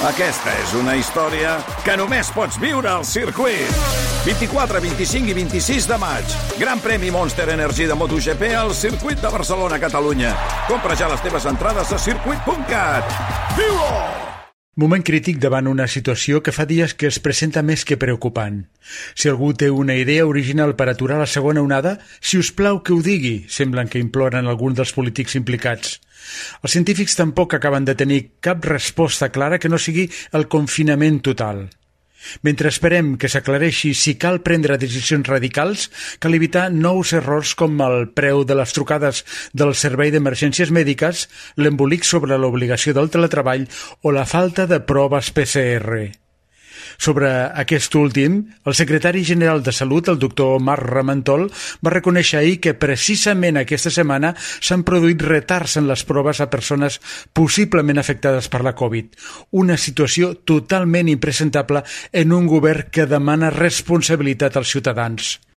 Aquesta és una història que només pots viure al circuit. 24, 25 i 26 de maig. Gran premi Monster Energy de MotoGP al circuit de Barcelona, Catalunya. Compra ja les teves entrades a circuit.cat. Viu-ho! Moment crític davant una situació que fa dies que es presenta més que preocupant. Si algú té una idea original per aturar la segona onada, si us plau que ho digui, semblen que imploren alguns dels polítics implicats. Els científics tampoc acaben de tenir cap resposta clara que no sigui el confinament total. Mentre esperem que s'aclareixi si cal prendre decisions radicals, cal evitar nous errors com el preu de les trucades del servei d'emergències mèdiques, l'embolic sobre l'obligació del teletreball o la falta de proves PCR. Sobre aquest últim, el secretari general de Salut, el doctor Marc Ramentol, va reconèixer ahir que precisament aquesta setmana s'han produït retards en les proves a persones possiblement afectades per la Covid. Una situació totalment impresentable en un govern que demana responsabilitat als ciutadans.